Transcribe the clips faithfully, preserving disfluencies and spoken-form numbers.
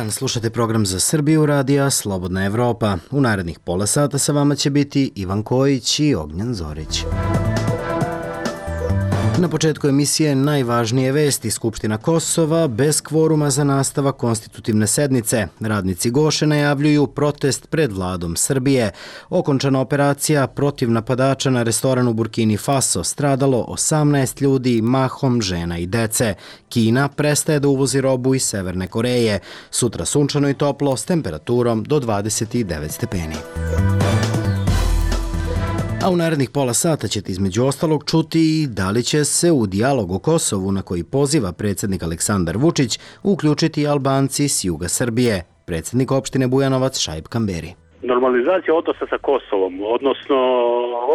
dan, slušate program za Srbiju radija Slobodna Evropa. U narednih pola sata sa vama će biti Ivan Kojić i Ognjan Zorić. Na početku emisije najvažnije vesti. Skupština Kosova bez kvoruma za nastavak konstitutivne sednice. Radnici Goše najavljuju protest pred vladom Srbije. Okončana operacija protiv napadača na restoran u Burkini Faso. Stradalo osamnaest ljudi, mahom žena i dece. Kina prestaje da uvozi robu iz Severne Koreje. Sutra sunčano i toplo s temperaturom do dvadeset devet stepeni. A u narednih pola sata ćete između ostalog čuti i da li će se u dijalog o Kosovu na koji poziva predsjednik Aleksandar Vučić uključiti Albanci s juga Srbije. Predsjednik opštine Bujanovac Šaip Kamberi. Normalizacija odnosa sa Kosovom, odnosno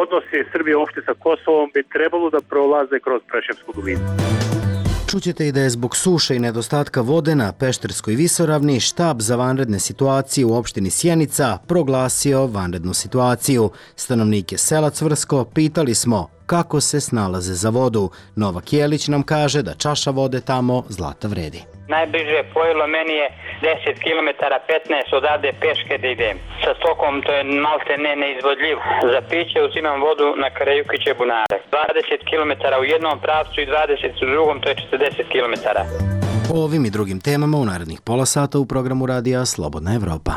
odnosi Srbije uopšte sa Kosovom bi trebalo da prolaze kroz Preševsku dolinu. Čućete i da je zbog suše i nedostatka vode na Pešterskoj visoravni štab za vanredne situacije u opštini Sjenica proglasio vanrednu situaciju. Stanovnike sela Cvrsko pitali smo kako se snalaze za vodu. Novak Jelić nam kaže da čaša vode tamo zlata vredi. Najbliže pojelo meni je deset kilometara, petnaest odavde peške da idem. Sa stokom to je malte ne neizvodljivo. Za piće uzimam vodu na Karajukiće bunare. dvadeset kilometara u jednom pravcu i dvadeset u drugom, to je četrdeset kilometara. O ovim i drugim temama u narednih pola sata u programu radija Slobodna Evropa.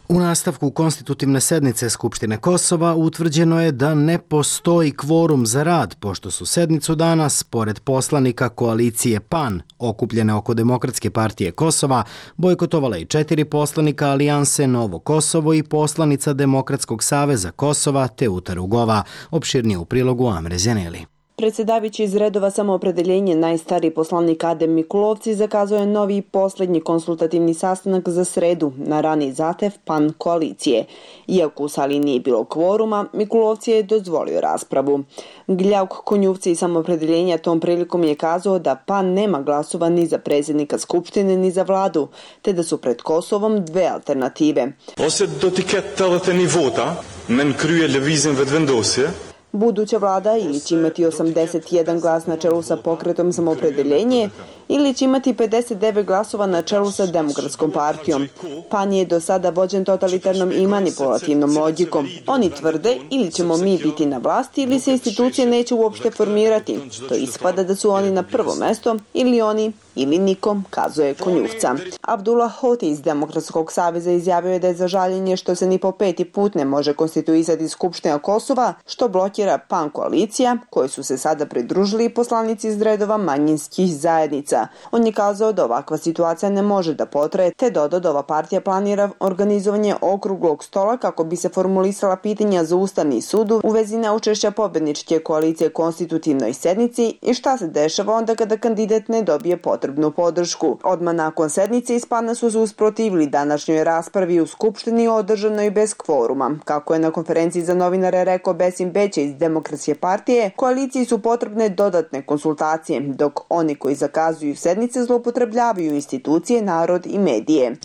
U nastavku konstitutivne sednice Skupštine Kosova utvrđeno je da ne postoji kvorum za rad, pošto su sednicu danas, pored poslanika koalicije PAN, okupljene oko Demokratske partije Kosova, bojkotovala i četiri poslanika Alijanse Novo Kosovo i poslanica Demokratskog saveza Kosova Teuta Rugova, opširnije u prilogu Amre Zjaneli. Predsjedavajući iz redova Samoopredeljenje, najstariji poslanik Adem Mikulovci zakazao je novi i posljednji konsultativni sastanak za sredu na rani zahtev PAN koalicije. Iako u sali nije bilo kvoruma, Mikulovci je dozvolio raspravu. Gljauk Konjuvci iz Samoopredeljenja tom prilikom je kazao da PAN nema glasova ni za predsjednika Skupštine ni za vladu, te da su pred Kosovom dve alternative. Ose do të ketë tetëdhjetë një vota, me në krye lëvizjen vetëvendosje. Buduća vlada ili će imati osamdeset jedan glas na čelu sa pokretom Samoopredeljenje ili će imati pedeset devet glasova na čelu sa Demokratskom partijom. PAN je do sada vođen totalitarnom i manipulativnom logikom. Oni tvrde ili ćemo mi biti na vlasti ili se institucije neće uopšte formirati. To ispada da su oni na prvo mesto ili oni ili nikom, kazuje Konjuvca. Abdullah Hoti iz Demokratskog saveza izjavio je da je za žaljenje što se ni po peti put ne može konstituisati Skupština Kosova, što blokira PAN koalicija, koji su se sada pridružili poslanici iz redova manjinskih zajednica. On je kazao da ovakva situacija ne može da potraje, te dodao da ova partija planira organizovanje okruglog stola kako bi se formulisala pitanja za Ustavni sud u vezi neučešća pobedničke koalicije konstitutivnoj sednici i šta se dešava onda kada kandidat ne dobije potrebnu podršku. Odmah nakon sednice iz PAN-a su se usprotivili današnjoj raspravi u Skupštini održanoj bez kvoruma. Kako je na konferenciji za novinare rekao Besim Beće iz Demokratske partije, koaliciji su potrebne dodatne konsultacije, dok oni koji zakazuju sednice zloupotrebljavaju institucije, narod i medije.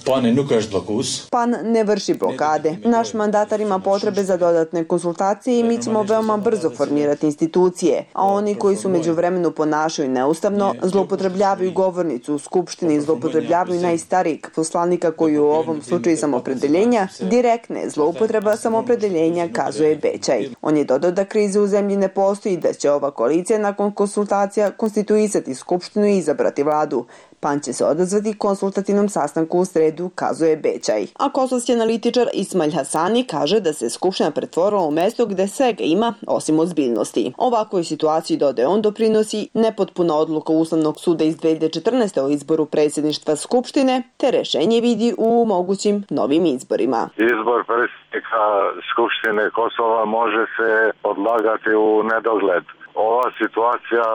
PAN ne vrši blokade. Naš mandatar ima potrebe za dodatne konsultacije i mi ćemo veoma brzo formirati institucije, a oni koji su međuvremenu ponašaju neustavno, zloupotrebljavaju govornicu u Skupštini i zloupotrebljavaju najstarijeg poslanika koji u ovom slučaju Samoopredeljenja, direktne zloupotreba Samoopredeljenja, kazuje Bećaj. On je dodao da krize u zemlji ne postoji i da će ova koalicija nakon konsultacija konstituisati Skupštinu i izabrati vladu. PAN će se odazvati konsultativnom sastanku u sredu, kazuje Bećaj. A kosovski analitičar Ismail Hasani kaže da se Skupština pretvorila u mesto gde svega ima osim ozbiljnosti. Ovakvoj situaciji, dodaje on, doprinosi nepotpuna odluka Ustavnog suda iz dve hiljade četrnaeste. o izboru predsjedništva Skupštine, te rešenje vidi u mogućim novim izborima. Izbor predsjednika Skupštine Kosova može se odlagati u nedogled. Ova situacija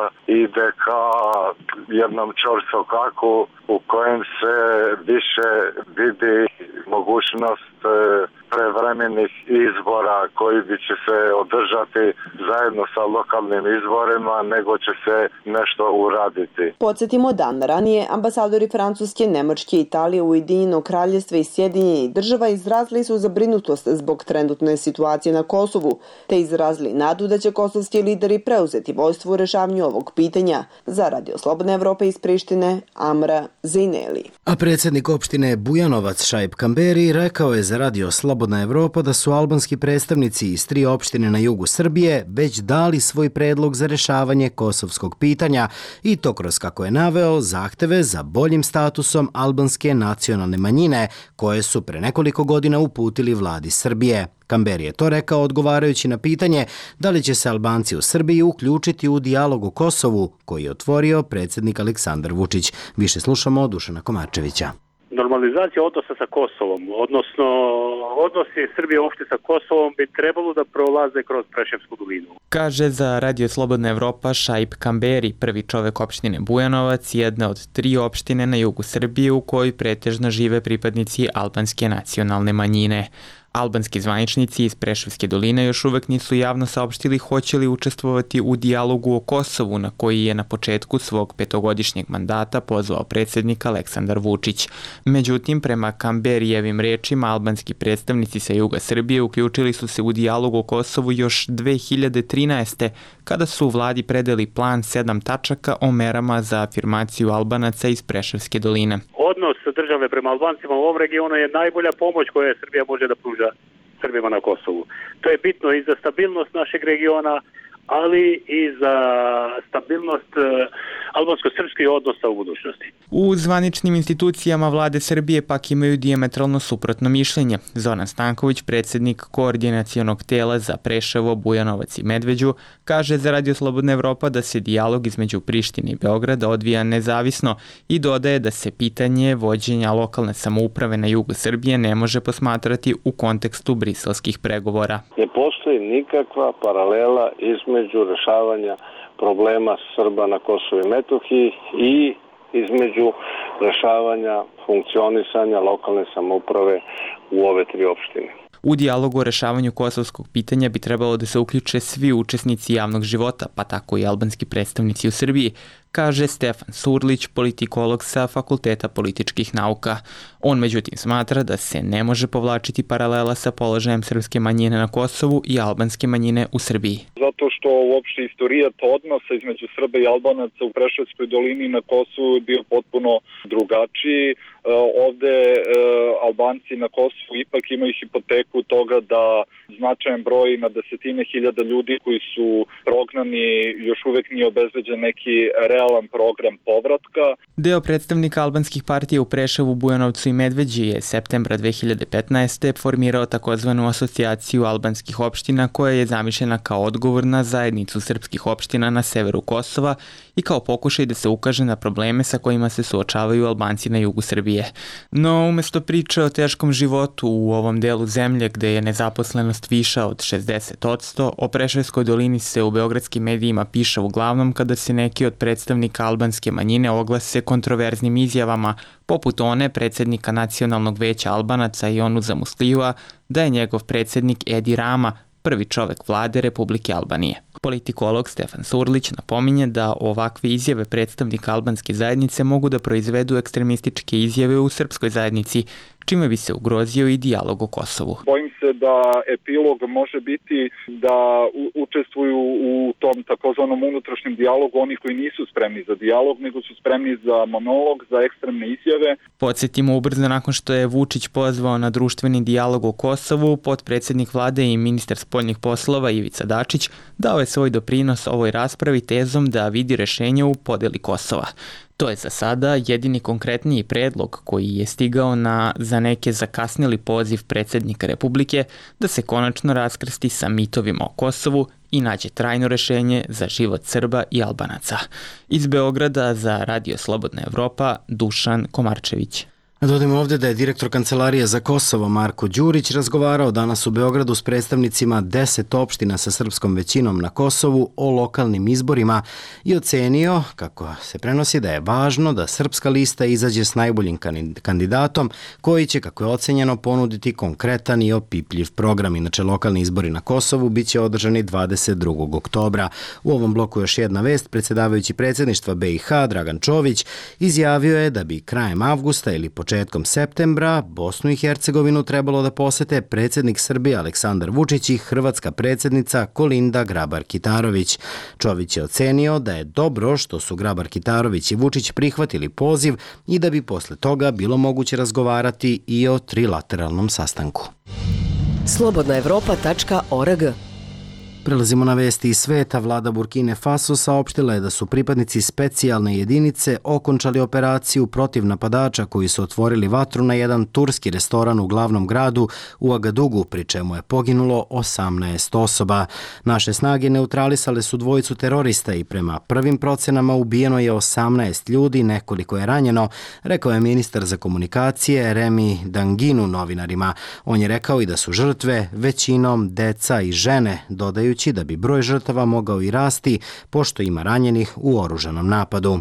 ide ka jednom čorsokaku u kojem se više vidi mogućnost prevremenih izbora koji bi će se održati zajedno zajedno sa lokalnim izborima, nego će se nešto uraditi. Podsjetimo, dan ranije ambasadori Francuske, Nemačke, Italije, Ujedinjenog Kraljevstva i Sjedinjenih Država izrazili su zabrinutost zbog trenutne situacije na Kosovu, te izrazili nadu da će kosovski lideri preuzeti vodstvo u rešavanju ovog pitanja. Za Radio Slobodna Evropa iz Prištine, Amra Zejneli. A predsjednik opštine Bujanovac Šaip Kamberi rekao je za Radio Slobodna Evropa da su albanski predstavnici iz tri opštine na jugu Srbije već dali svoj predlog za rešavanje kosovskog pitanja i to kroz, kako je naveo, zahteve za boljim statusom albanske nacionalne manjine koje su pre nekoliko godina uputili vladi Srbije. Kamberi je to rekao odgovarajući na pitanje da li će se Albanci u Srbiji uključiti u dijalog o Kosovu koji je otvorio predsjednik Aleksandar Vučić. Više slušamo od Dušana Komarčevića. Normalizacija odnosa sa Kosovom, odnosno odnosi Srbije uopšte sa Kosovom bi trebalo da prolaze kroz Preševsku dolinu. Kaže za Radio Slobodna Evropa Šaip Kamberi, prvi čovek opštine Bujanovac, jedna od tri opštine na jugu Srbije u kojoj pretežno žive pripadnici albanske nacionalne manjine. Albanski zvaničnici iz Preševske doline još uvek nisu javno saopštili hoće li učestvovati u dijalogu o Kosovu na koji je na početku svog petogodišnjeg mandata pozvao predsjednik Aleksandar Vučić. Međutim, prema Kamberijevim rečima, albanski predstavnici sa juga Srbije uključili su se u dijalog o Kosovu još dve hiljade trinaeste. kada su u vladi predali plan sedam tačaka o merama za afirmaciju Albanaca iz Preševske doline. Odnos države prema Albancima u ovom regionu je najbolja pomoć koju Srbija može da pruža Srbima na Kosovu. To je bitno i za stabilnost našeg regiona, ali i za stabilnost albansko-srpskih odnosa u budućnosti. U zvaničnim institucijama vlade Srbije pak imaju dijametralno suprotno mišljenje. Zoran Stanković, predsjednik koordinacionog tela za Preševo, Bujanovac i Medveđu, kaže za Radio Slobodna Evropa da se dijalog između Prištine i Beograda odvija nezavisno i dodaje da se pitanje vođenja lokalne samouprave na jugu Srbije ne može posmatrati u kontekstu briselskih pregovora. Ne postoji nikakva paralela između rešavanja problema Srba na Kosovu i Metohiji i između rešavanja funkcionisanja lokalne samouprave u ove tri opštine. U dijalogu o rešavanju kosovskog pitanja bi trebalo da se uključe svi učesnici javnog života, pa tako i albanski predstavnici u Srbiji, kaže Stefan Surlić, politikolog sa Fakulteta političkih nauka. On međutim smatra da se ne može povlačiti paralela sa položajem srpske manjine na Kosovu i albanske manjine u Srbiji. Zato što uopšte istorijat odnosa između Srba i Albanaca u Preševskoj dolini na Kosovu je bio potpuno drugačiji. Ovde Albanci na Kosovu ipak imaju hipoteku toga da značajan broj na desetine hiljada ljudi koji su prognani još uvek nije obezbeđen neki realan program povratka. Deo predstavnika albanskih partija u Preševu, Bujanovcu i Medveđi je septembra dve hiljade petnaeste. formirao takozvanu asocijaciju albanskih opština koja je zamišljena kao odgovor na zajednicu srpskih opština na severu Kosova i kao pokušaj da se ukaže na probleme sa kojima se suočavaju Albanci na jugu Srbije. No, umesto priče o teškom životu u ovom delu zemlje gde je nezaposlenost viša od šezdeset posto, o Preševskoj dolini se u beogradskim medijima piše uglavnom kada se neki od predstavnika albanske manjine oglase kontroverznim izjavama, poput one predsjednika Nacionalnog veća Albanaca Jonuza Muslijua, da je njegov predsjednik Edi Rama prvi čovek vlade Republike Albanije. Politikolog Stefan Surlić napominje da ovakve izjave predstavnika albanske zajednice mogu da proizvedu ekstremističke izjave u srpskoj zajednici, čime bi se ugrozio i dijalog o Kosovu. Bojim se da epilog može biti da učestvuju u tom takozvanom unutrašnjem dijalogu oni koji nisu spremni za dijalog, nego su spremni za monolog, za ekstremne izjave. Podsjetimo, ubrzo nakon što je Vučić pozvao na društveni dijalog o Kosovu, potpredsednik vlade i ministar spoljnih poslova Ivica Dačić dao je svoj doprinos ovoj raspravi tezom da vidi rešenje u podeli Kosova. To je za sada jedini konkretniji predlog koji je stigao na za neke zakasnili poziv predsjednika Republike da se konačno raskrsti sa mitovima o Kosovu i nađe trajno rešenje za život Srba i Albanaca. Iz Beograda za Radio Slobodna Evropa, Dušan Komarčević. Dodajmo ovdje da je direktor Kancelarije za Kosovo Marko Đurić razgovarao danas u Beogradu s predstavnicima deset opština sa srpskom većinom na Kosovu o lokalnim izborima i ocenio, kako se prenosi, da je važno da srpska lista izađe s najboljim kandidatom koji će, kako je ocenjeno, ponuditi konkretan i opipljiv program. Inače, lokalni izbori na Kosovu bit će održani dvadeset drugog oktobra. U ovom bloku još jedna vest. Predsjedavajući predsjedništva B i H Dragan Čović izjavio je da bi krajem avgusta ili početkom Početkom septembra Bosnu i Hercegovinu trebalo da posete predsjednik Srbije Aleksandar Vučić i hrvatska predsjednica Kolinda Grabar-Kitarović. Čović je ocenio da je dobro što su Grabar-Kitarović i Vučić prihvatili poziv i da bi posle toga bilo moguće razgovarati i o trilateralnom sastanku. slobodna evropa tačka org. Prelazimo na vesti iz sveta. Vlada Burkine Faso saopštila je da su pripadnici specijalne jedinice okončali operaciju protiv napadača koji su otvorili vatru na jedan turski restoran u glavnom gradu u Agadugu, pri čemu je poginulo osamnaest osoba. Naše snage neutralisale su dvojicu terorista i prema prvim procenama ubijeno je osamnaest ljudi, nekoliko je ranjeno, rekao je ministar za komunikacije Remi Danginu novinarima. On je rekao i da su žrtve većinom deca i žene, dodaju da bi broj žrtava mogao i rasti, pošto ima ranjenih u oružanom napadu.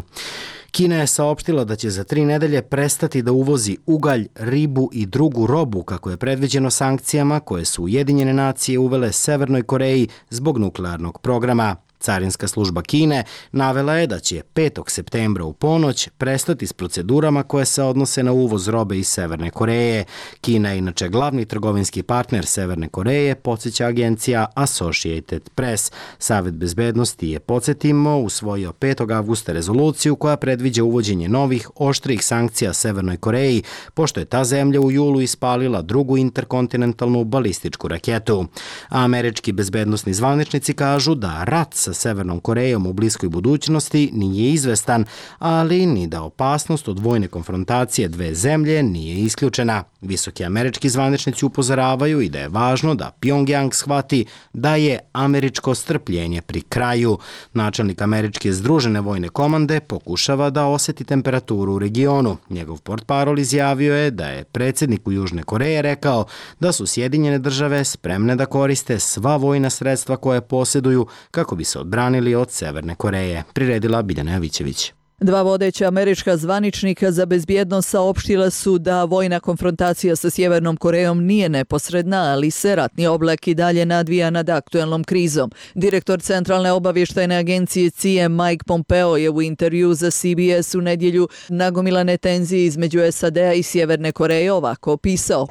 Kina je saopštila da će za tri nedelje prestati da uvozi ugalj, ribu i drugu robu, kako je predviđeno sankcijama koje su Ujedinjene nacije uvele Severnoj Koreji zbog nuklearnog programa. Carinska služba Kine navela je da će petog septembra u ponoć prestati s procedurama koje se odnose na uvoz robe iz Severne Koreje. Kina je inače glavni trgovinski partner Severne Koreje, podsjeća agencija Associated Press. Savet bezbednosti je, podsjetimo, usvojio petog avgusta rezoluciju koja predviđa uvođenje novih, oštrih sankcija Severnoj Koreji, pošto je ta zemlja u julu ispalila drugu interkontinentalnu balističku raketu. A američki bezbednosni zvaničnici kažu da rat sa Severnom Korejom u bliskoj budućnosti nije izvestan, ali ni da opasnost od vojne konfrontacije dve zemlje nije isključena. Visoki američki zvaničnici upozoravaju i da je važno da Pjongjang shvati da je američko strpljenje pri kraju. Načelnik američke združene vojne komande pokušava da oseti temperaturu u regionu. Njegov portparol izjavio je da je predsjedniku Južne Koreje rekao da su Sjedinjene države spremne da koriste sva vojna sredstva koje posjeduju kako bi se odbranili od Severne Koreje, priredila Biljana Jovićević. Dva vodeća američka zvaničnika za bezbjednost saopštila su da vojna konfrontacija sa Sjevernom Korejom nije neposredna, ali se ratni oblak i dalje nadvija nad aktuelnom krizom. Direktor Centralne obavještajne agencije C I A Mike Pompeo je u intervju za C B S u nedjelju nagomilane tenzije između S A D-a i Sjeverne Koreje ovako opisao.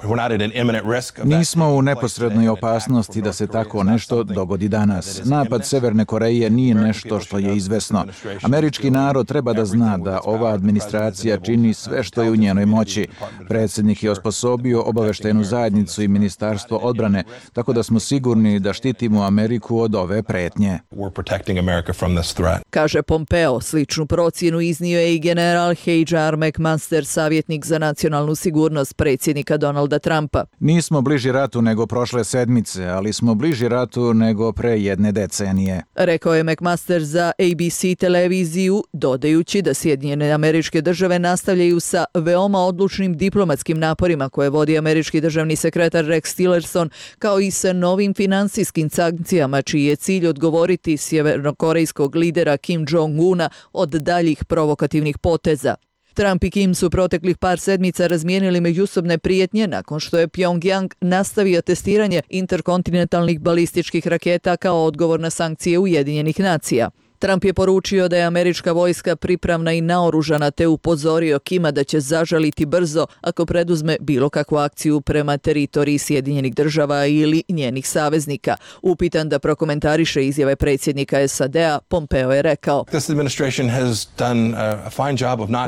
Nismo u neposrednoj opasnosti da se tako nešto dogodi danas. Napad Severne Koreje nije nešto što je izvesno. Američki narod treba da zna da ova administracija čini sve što je u njenoj moći. Predsjednik je osposobio obaveštajnu zajednicu i Ministarstvo odbrane, tako da smo sigurni da štitimo Ameriku od ove pretnje. Kaže Pompeo, sličnu procjenu iznio je i general H R McMaster, savjetnik za nacionalnu sigurnost predsjednika Donalda Trumpa. Nismo bliži ratu nego prošle sedmice, ali smo bliži ratu nego pre jedne decenije. Rekao je McMaster za A B C televiziju, dodajući da Sjedinjene Američke Države nastavljaju sa veoma odlučnim diplomatskim naporima koje vodi američki državni sekretar Rex Tillerson, kao i sa novim finansijskim sankcijama čiji je cilj odgovoriti sjevernokorejskog lidera Kim Jong-una od daljih provokativnih poteza. Trump i Kim su proteklih par sedmica razmijenili međusobne prijetnje nakon što je Pjongjang nastavio testiranje interkontinentalnih balističkih raketa kao odgovor na sankcije Ujedinjenih nacija. Trump je poručio da je američka vojska pripravna i naoružana te upozorio Kima da će zažaliti brzo ako preduzme bilo kakvu akciju prema teritoriji Sjedinjenih država ili njenih saveznika. Upitan da prokomentariše izjave predsjednika S A D-a, Pompeo je rekao: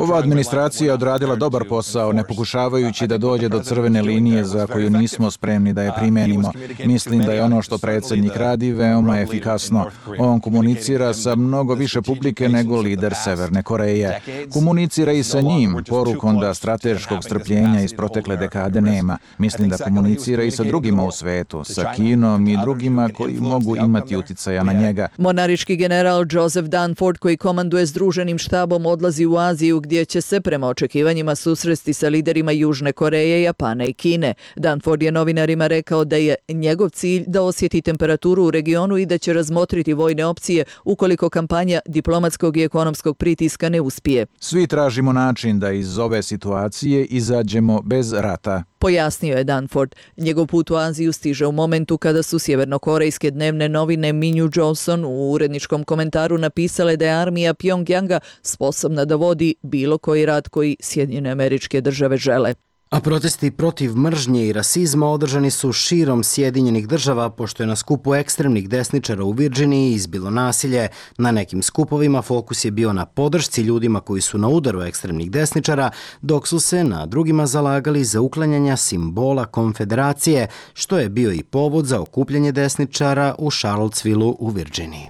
Ova administracija je odradila dobar posao, ne pokušavajući da dođe do crvene linije za koju nismo spremni da je primenimo. Mislim da je ono što predsjednik radi veoma efikasno. On komunicira sa mnogo više publike nego lider Severne Koreje. Komunicira i sa njim, porukom da strateškog strpljenja iz protekle dekade nema. Mislim da komunicira i sa drugima u svetu, sa Kinom i drugima koji mogu imati uticaja na njega. Monariški general Joseph Dunford, koji komanduje Združenim štabom, odlazi u Aziju gdje će se prema očekivanjima susresti sa liderima Južne Koreje, Japana i Kine. Dunford je novinarima rekao da je njegov cilj da osjeti temperaturu u regionu i da će razmotriti vojne opcije ukoliko kampanja diplomatskog i ekonomskog pritiska ne uspije. Svi tražimo način da iz ove situacije izađemo bez rata. Pojasnio je Dunford. Njegov put u Aziju stiže u momentu kada su sjevernokorejske dnevne novine Minju Johnson u uredničkom komentaru napisale da je armija Pjongjanga sposobna da vodi bilo koji rat koji Sjedinjene Američke Države žele. A protesti protiv mržnje i rasizma održani su širom Sjedinjenih Država, pošto je na skupu ekstremnih desničara u Virginiji izbilo nasilje. Na nekim skupovima fokus je bio na podršci ljudima koji su na udaru ekstremnih desničara, dok su se na drugima zalagali za uklanjanja simbola konfederacije, što je bio i povod za okupljanje desničara u Charlottesvilleu u Virginiji.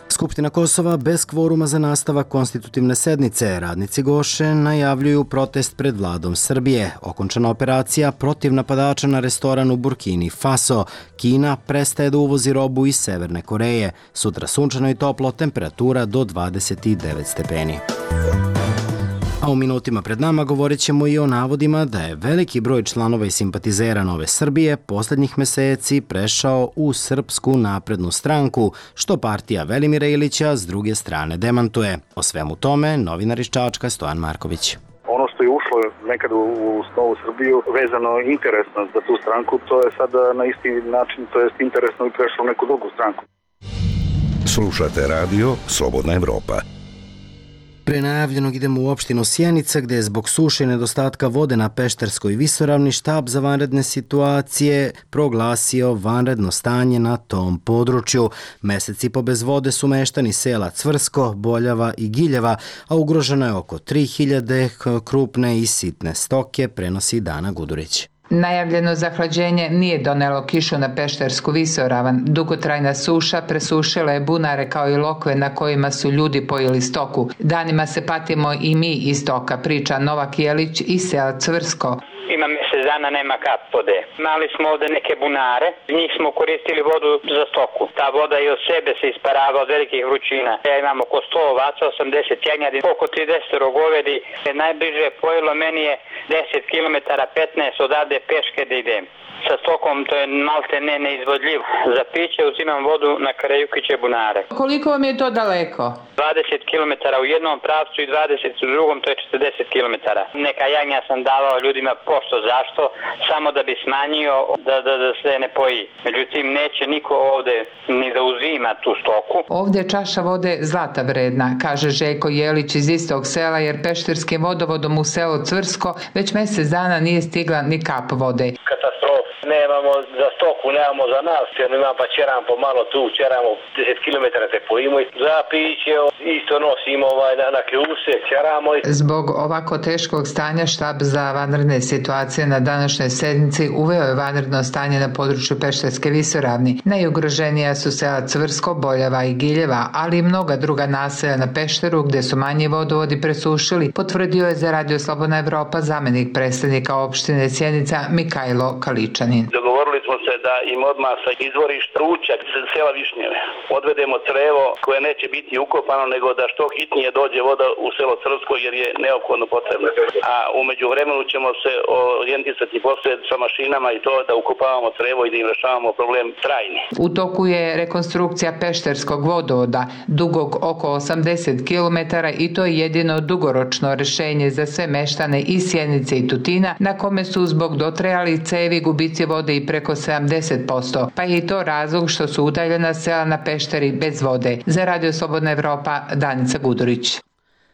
Skupština Kosova bez kvoruma za nastavak konstitutivne sednice. Radnici Goše najavljuju protest pred vladom Srbije. Okončana operacija protiv napadača na restoran u Burkini Faso. Kina prestaje da uvozi robu iz Severne Koreje. Sutra sunčano i toplo, temperatura do dvadeset devet stepeni. A u minutima pred nama govorit ćemo i o navodima da je veliki broj članova i simpatizera Nove Srbije posljednjih meseci prešao u Srpsku naprednu stranku, što partija Velimira Ilića s druge strane demantuje. O svemu tome novinar iz Čačka Stojan Marković. Ono što je ušlo nekad u Novu Srbiju vezano interesno za tu stranku, to je sada na isti način, to jest interesno i prešlo u neku drugu stranku. Slušate radio Slobodna Evropa. Pre najavljenog idemo u opštinu Sjenica, gde je zbog suše i nedostatka vode na Pešterskoj visoravni štab za vanredne situacije proglasio vanredno stanje na tom području. Mesec i po bez vode su meštani sela Cvrsko, Boljava i Giljeva, a ugroženo je oko tri hiljade krupne i sitne stoke, prenosi Dana Gudurić. Najavljeno zahlađenje nije donelo kišu na Peštersku visoravan. Dugotrajna suša presušila je bunare kao i lokve na kojima su ljudi pojeli stoku. Danima se patimo i mi iz stoka, priča Novak Jelić iz sela Cvrsko. Ima mjesec dana, nema kap vode. Imali smo ovde neke bunare, njih smo koristili vodu za stoku. Ta voda i od sebe se isparava od velikih vrućina. Ja imam oko sto ovaca, osamdeset jagnjadi, oko trideset govedi. Najbliže pojelo meni je deset kilometara, petnaest odavde peške da idem. Sa stokom to je malte ne neizvodljivo. Za piće uzimam vodu na Karajukiće bunare. Koliko vam je to daleko? dvadeset kilometara u jednom pravcu i dvadeset u drugom, to je četrdeset kilometara. Neka jagnja sam davao ljudima pošto zašto, samo da bi smanjio da, da, da se ne poji. Međutim, neće niko ovde ni da uzima tu stoku. Ovde je čaša vode zlata vredna, kaže Željko Jelić iz istog sela, jer pešterskim vodovodom u selo Cvrsko već mjesec dana nije stigla ni kap vode. Katastrofa. Nemamo za stoku, nemamo za nas, jer imam pa čeram po malo tu, čeramo deset kilometara te pojimo i za piće isto nosimo ovaj, na, na kljuse, čeramo. Zbog ovako teškog stanja štab za vanredne situacije na današnjoj sednici uveo je vanredno stanje na području Pešterske visoravni. Najugroženija su sela Cvrsko, Boljava i Giljeva, ali i mnoga druga naselja na Pešteru gde su manji vodovodi presušili, potvrdio je za Radio Slobodna Evropa zamenik predstavnika opštine Sjenica Mikajlo Kaličanin. Dogovorili smo se da im odmah sa izvorišta Ručak sela Višnjeve odvedemo crevo koje neće biti ukopano, nego da što hitnije dođe voda u selo Crvsko jer je neophodno potrebno. A umeđu vremenu ćemo se orijentisati poslije sa mašinama i to da ukopavamo crevo i da im rešavamo problem trajni. U toku je rekonstrukcija Pešterskog vodovoda dugog oko osamdeset kilometara i to je jedino dugoročno rešenje za sve meštane iz Sjenice i Tutina, na kome su zbog dotrajali cevi gubici vode i preko sedamdeset posto, pa je i to razlog što su udaljena sela na Pešteri bez vode. Za Radio Slobodna Evropa, Danica Gudurić.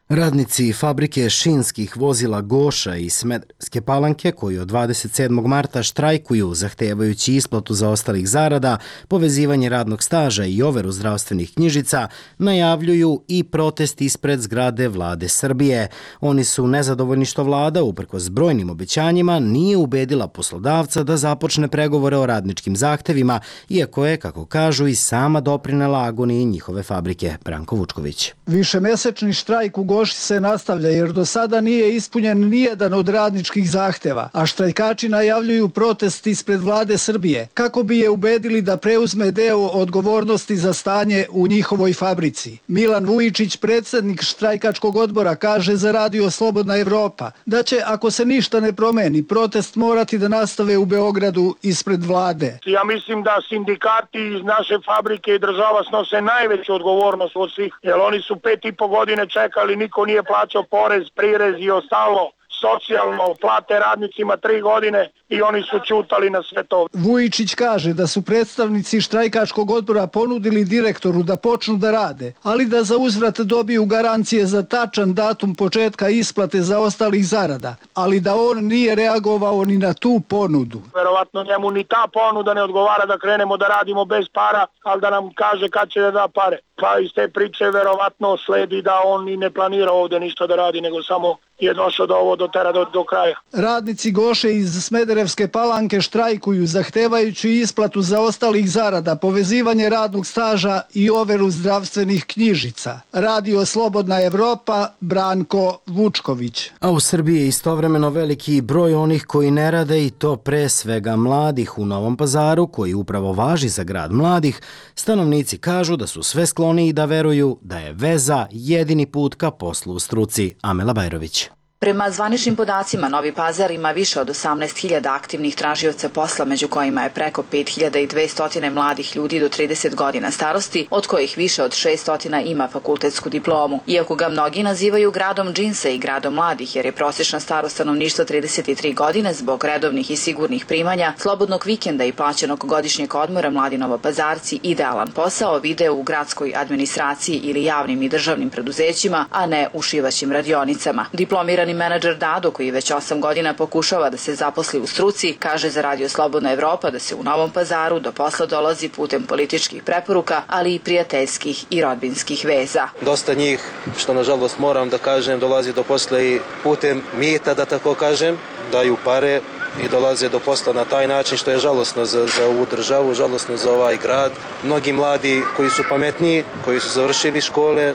Radnici fabrike šinskih vozila Goša i Smederevske Palanke, koji od dvadeset sedmog marta štrajkuju zahtevajući isplatu zaostalih zarada, povezivanje radnog staža i overu zdravstvenih knjižica, najavljuju i protest ispred zgrade Vlade Srbije. Oni su nezadovoljni što vlada, uprkos brojnim obećanjima, nije ubedila poslodavca da započne pregovore o radničkim zahtevima, iako je, kako kažu, i sama doprinela agoniji njihove fabrike. Branko Vučković. Višemesečni štrajk u Goši se nastavlja jer do sada nije ispunjen nijedan od radničkih zahteva, a štrajkači najavljuju protest ispred Vlade Srbije kako bi je ubedili da preuzme deo odgovornosti za stanje u njihovoj fabrici. Milan Vujičić, predsjednik štrajkačkog odbora, kaže za Radio Slobodna Evropa da će, ako se ništa ne promeni, protest morati da nastave u Beogradu ispred Vlade. Ja mislim da sindikati iz naše fabrike i država snose najveću odgovornost od svih, jer oni su pet i po godine čekali, niko nije plaćao porez, prirez i ostalo, socijalno, plate radnicima tri godine i oni su ćutali na sve to. Vujičić kaže da su predstavnici štrajkačkog odbora ponudili direktoru da počnu da rade, ali da za uzvrat dobiju garancije za tačan datum početka isplate zaostalih zarada, ali da on nije reagovao ni na tu ponudu. Verovatno njemu ni ta ponuda ne odgovara da krenemo da radimo bez para, ali da nam kaže kad će da da pare. Pa iz te priče verovatno sledi da on i ne planira ovde ništa da radi, nego samo je došao do ovo do tera do, do kraja. Radnici Goše iz Smederevske Palanke štrajkuju zahtevajući isplatu zaostalih zarada, povezivanje radnog staža i overu zdravstvenih knjižica. Radio Slobodna Evropa, Branko Vučković. A u Srbiji je istovremeno veliki broj onih koji ne rade, i to pre svega mladih. U Novom Pazaru, koji upravo važi za grad mladih, stanovnici kažu da su sve skloniji da veruju da je veza jedini put ka poslu u struci. Amela Bajrović. Prema zvaničnim podacima, Novi Pazar ima više od osamnaest hiljada aktivnih tražioca posla, među kojima je preko pet hiljada dvesta mladih ljudi do trideset godina starosti, od kojih više od šeststo ima fakultetsku diplomu. Iako ga mnogi nazivaju gradom džinsa i gradom mladih, jer je prosječna starost stanovništva trideset tri godine, zbog redovnih i sigurnih primanja, slobodnog vikenda i plaćenog godišnjeg odmora, mladi Novopazarci idealan posao vide u gradskoj administraciji ili javnim i državnim preduzećima, a ne u šivaćim radionicama. Diplomirani menadžer Dado, koji već osam godina pokušava da se zaposli u struci, kaže za Radio Slobodna Evropa da se u Novom Pazaru do posla dolazi putem političkih preporuka, ali i prijateljskih i rodbinskih veza. Dosta njih, što nažalost moram da kažem, dolazi do posla i putem mita, da tako kažem, daju pare i dolaze do posla na taj način, što je žalosno za, za ovu državu, žalosno za ovaj grad. Mnogi mladi koji su pametniji, koji su završili škole,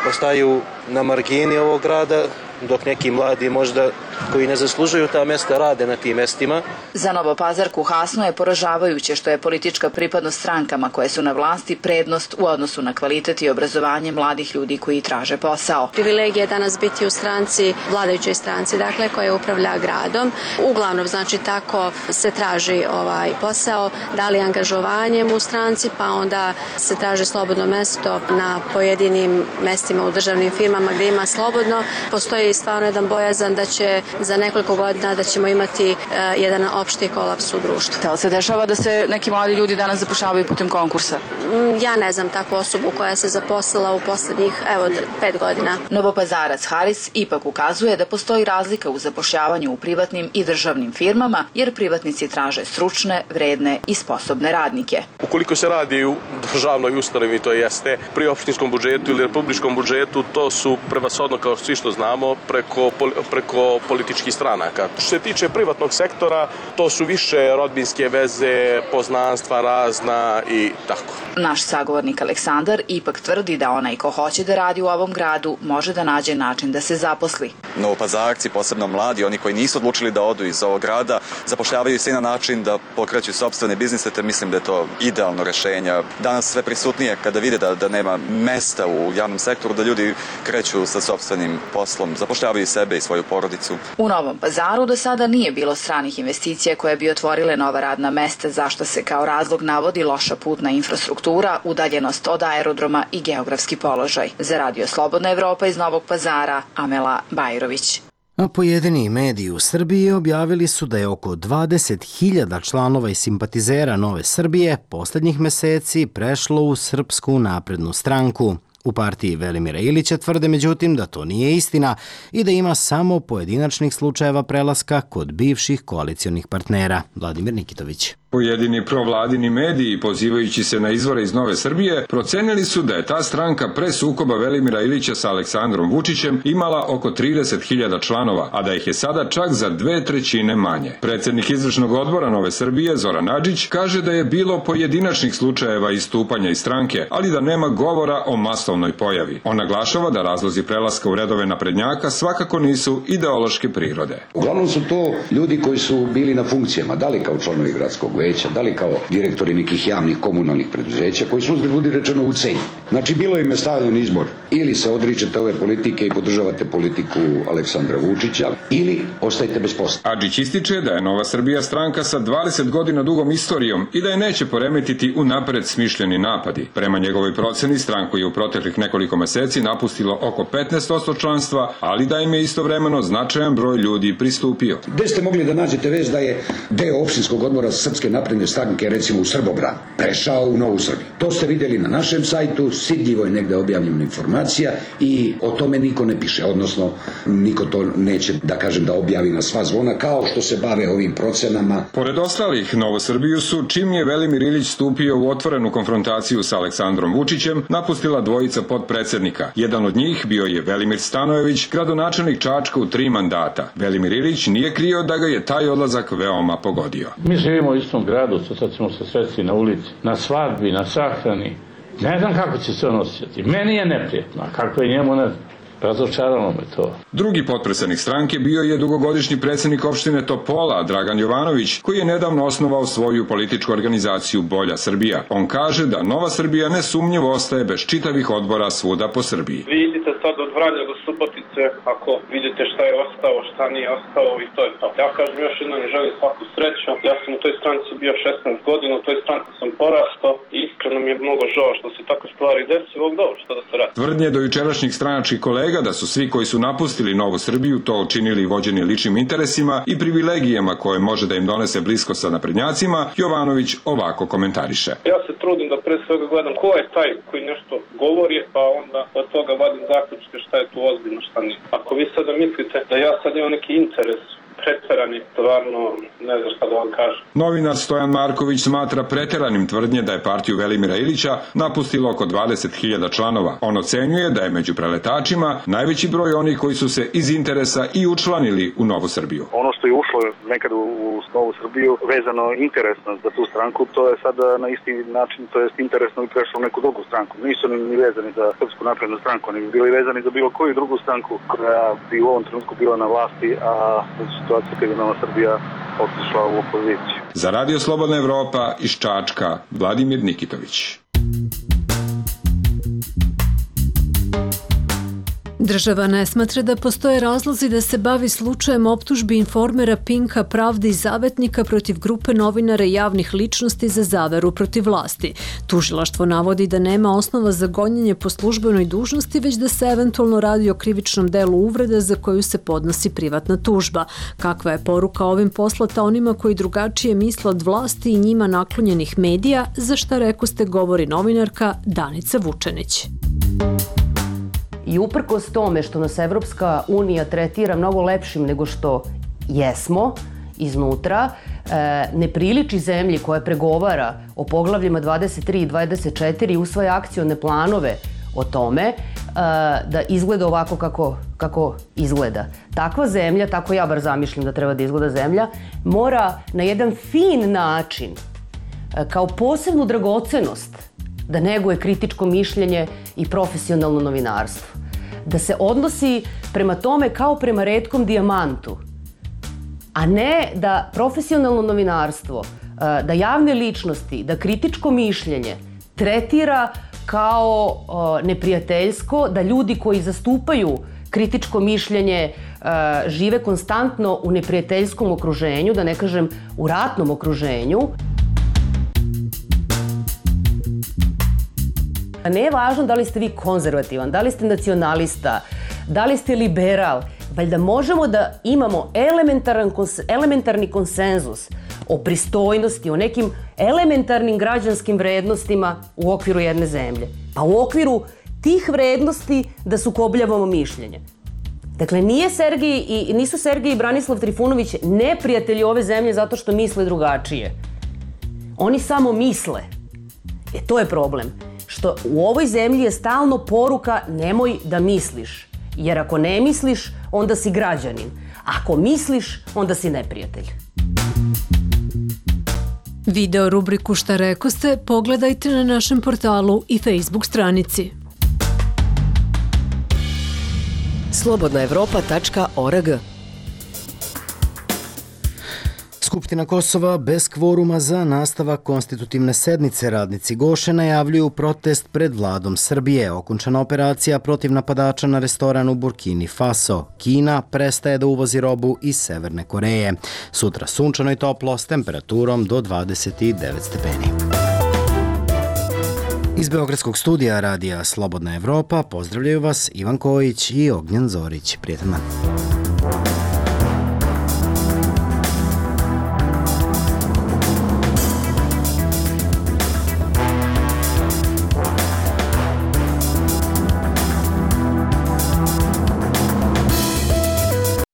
ostaju na margini ovog grada, dok neki mladi možda koji ne zaslužuju ta mesta rade na tim mestima. Za Novopazarku Hasno je poražavajuće što je politička pripadnost strankama koje su na vlasti prednost u odnosu na kvalitet i obrazovanje mladih ljudi koji traže posao. Privilegija je danas biti u stranci, vladajućoj stranci, dakle, koja upravlja gradom. Uglavnom, znači, tako se traži ovaj posao, da li angažovanjem u stranci, pa onda se traži slobodno mesto na pojedinim mestima u državnim firmama gdje ima slobodno. Postoji stvarno jedan bojazan da će za nekoliko godina da ćemo imati uh, jedan opšti kolaps u društvu. Da li se dešava da se neki mladi ljudi danas zapošljavaju putem konkursa? Mm, ja ne znam takvu osobu koja se zaposlila u poslednjih, evo, pet godina. Novopazarac Haris ipak ukazuje da postoji razlika u zapošljavanju u privatnim i državnim firmama, jer privatnici traže stručne, vredne i sposobne radnike. Ukoliko se radi u državnoj ustanovi, to jeste pri opštinskom budžetu ili republičkom budžetu, to su prevashodno, kao svi što znamo, preko, preko političkih stranaka. Što se tiče privatnog sektora, to su više rodbinske veze, poznanstva razna i tako. Naš sagovornik Aleksandar ipak tvrdi da onaj ko hoće da radi u ovom gradu može da nađe način da se zaposli. Novopazarci, posebno mladi, oni koji nisu odlučili da odu iz ovog grada, zapošljavaju se na način da pokreću sopstvene biznise, te mislim da je to idealno rešenje. Danas sve prisutnije kada vide da, da nema mesta u javnom sektoru, da ljudi kreću sa sopstvenim poslom, zapošljavaju sebe i svoju porodicu. U Novom Pazaru do sada nije bilo stranih investicija koje bi otvorile nova radna mesta, zašto se kao razlog navodi loša putna infrastruktura, udaljenost od aerodroma i geografski položaj. Za Radio Slobodna Evropa iz Novog Pazara, Amela Bajrović. A pojedini mediji u Srbiji objavili su da je oko dvadeset hiljada članova i simpatizera Nove Srbije poslednjih meseci prešlo u Srpsku naprednu stranku. U partiji Velimira Ilića tvrde međutim da to nije istina i da ima samo pojedinačnih slučajeva prelaska kod bivših koalicionih partnera. Vladimir Nikitović. Pojedini provladini mediji, pozivajući se na izvore iz Nove Srbije, procenili su da je ta stranka pre sukoba Velimira Ilića sa Aleksandrom Vučićem imala oko trideset hiljada članova, a da ih je sada čak za dve trećine manje. Predsednik izvršnog odbora Nove Srbije, Zoran Adžić, kaže da je bilo pojedinačnih slučajeva istupanja iz stranke, ali da nema govora o masovnoj pojavi. On naglašava da razlozi prelaska u redove naprednjaka svakako nisu ideološke prirode. Uglavnom su to ljudi koji su bili na funkcijama, da li kao članovi gradskog veća, da li kao direktori nekih javnih komunalnih preduzeća, koji su uzgled budi rečeno u cenju. Znači, bilo im je stavljen izbor, ili se odričete ove politike i podržavate politiku Aleksandra Vučića, ili ostajete bez posla. Adžić ističe da je Nova Srbija stranka sa dvadeset godina dugom istorijom i da je neće poremetiti u napred smišljeni napadi. Prema njegovoj proceni, stranku je u proteklih nekoliko meseci napustilo oko petnaest posto članstva, ali da im je istovremeno značajan broj ljudi pristupio. Gde ste mogli da nađete vez da je deo opštinskog odbora Srpske napredne stranke, recimo u Srbobran, prešao u Novu Srbiju? To ste vidjeli na našem sajtu, sidljivo je negde objavljena informacija i o tome niko ne piše, odnosno niko to neće, da kažem, da objavi na sva zvona, kao što se bave ovim procenama. Pored ostalih, Novu Srbiju su, čim je Velimir Ilić stupio u otvorenu konfrontaciju sa Aleksandrom Vučićem, napustila dvojica podpredsednika. Jedan od njih bio je Velimir Stanojević, gradonačelnik Čačka u tri mandata. Velimir Ilić nije krio da ga je taj odlazak veoma pogodio. Mi živimo u istom gradu, sad ćemo se sresti na ulici, na svadbi, na sahrani. Ne znam kako će se on osjećati. Meni je neprijetno, a kako je njemu, ne znam. Razočaralo me to. Drugi potpredsednik stranke bio je dugogodišnji predsednik opštine Topola, Dragan Jovanović, koji je nedavno osnovao svoju političku organizaciju Bolja Srbija. On kaže da Nova Srbija nesumnjivo ostaje bez čitavih odbora svuda po Srbiji. Vi idite sad od Vranja do Subotice, ako vidite šta je ostao, šta nije ostao i to je to. Ja kažem još jednom i želim svaku sreću. Ja sam u toj stranci bio šesnaest godina, u toj stranci sam porastao i iskreno mi je mnogo žao što se tako stvari desi, ovog dobro, što da se radi. Tvrdnje do jučerašnjih stranačkih kolega da su svi koji su napustili Novu Srbiju to učinili vođeni ličnim interesima i privilegijama koje može da im donese blisko sa naprednjacima, Jovanović ovako komentariše. Ja se trudim da pre svega gledam ko je taj koji nešto govori, pa onda od toga vadim zaključke šta je tu ozbiljno, šta nije. Ako vi sada mislite da ja sad imam neki interes preterani, stvarno ne znam šta da vam kažem. Novinar Stojan Marković smatra preteranim tvrdnje da je partiju Velimira Ilića napustilo oko dvadeset hiljada članova. On ocenjuje da je među preletačima najveći broj onih koji su se iz interesa i učlanili u Novu Srbiju. Ono što je ušlo nekad u Novu Srbiju vezano interesno za tu stranku, to je sada na isti način, to je interesno i prešlo u neku drugu stranku. Nisu ni vezani za Srpsku naprednu stranku, ni bili vezani za bilo koju drugu stranku koja bi u ovom trenutku bila na vlasti, a situacija kada je Nova Srbija otišla u opoziciju. Za Radio Slobodna Evropa iz Čačka, Vladimir Nikitović. Država ne smatra da postoje razlozi da se bavi slučajem optužbi informera Pinka, Pravde i Zavetnika protiv grupe novinara i javnih ličnosti za zaveru protiv vlasti. Tužilaštvo navodi da nema osnova za gonjenje po službenoj dužnosti, već da se eventualno radi o krivičnom delu uvrede za koju se podnosi privatna tužba. Kakva je poruka ovim poslata onima koji drugačije misle od vlasti i njima naklonjenih medija, za šta rekoste govori novinarka Danica Vučenić. I uprkos tome što nas Evropska unija tretira mnogo lepšim nego što jesmo iznutra, ne priliči zemlji koja pregovara o poglavljima dvadeset tri i dvadeset četiri i usvaja akcione planove o tome da izgleda ovako kako, kako izgleda. Takva zemlja, tako ja bar zamišljam da treba da izgleda zemlja, mora na jedan fin način, kao posebnu dragocenost, da neguje kritičko mišljenje i profesionalno novinarstvo. Da se odnosi prema tome kao prema retkom dijamantu, a ne da profesionalno novinarstvo, da javne ličnosti, da kritičko mišljenje tretira kao neprijateljsko, da ljudi koji zastupaju kritičko mišljenje žive konstantno u neprijateljskom okruženju, da ne kažem u ratnom okruženju. Ne je važno da li ste vi konzervativan, da li ste nacionalista, da li ste liberal, valjda možemo da imamo elementaran, elementarni konsenzus o pristojnosti, o nekim elementarnim građanskim vrednostima u okviru jedne zemlje. Pa u okviru tih vrednosti da sukobljavamo mišljenje. Dakle, nije Sergij i, nisu Sergij i Branislav Trifunović neprijatelji ove zemlje zato što misle drugačije. Oni samo misle. E, to je problem. Što u ovoj zemlji je stalno poruka nemoj da misliš. Jer ako ne misliš, onda si građanin. Ako misliš, onda si neprijatelj. Video rubriku Šta rekoste pogledajte na našem portalu i Facebook stranici. slobodna evropa tačka org. Skupština Kosova bez kvoruma za nastavak konstitutivne sednice. Radnici Goše najavljuju protest pred vladom Srbije. Okončana operacija protiv napadača na restoran u Burkini Faso. Kina prestaje da uvozi robu iz Severne Koreje. Sutra sunčano i toplo s temperaturom do dvadeset devet stepeni. Iz Beogradskog studija radija Slobodna Evropa pozdravljaju vas Ivan Kojić i Ognjen Zorić. Prijetan dan.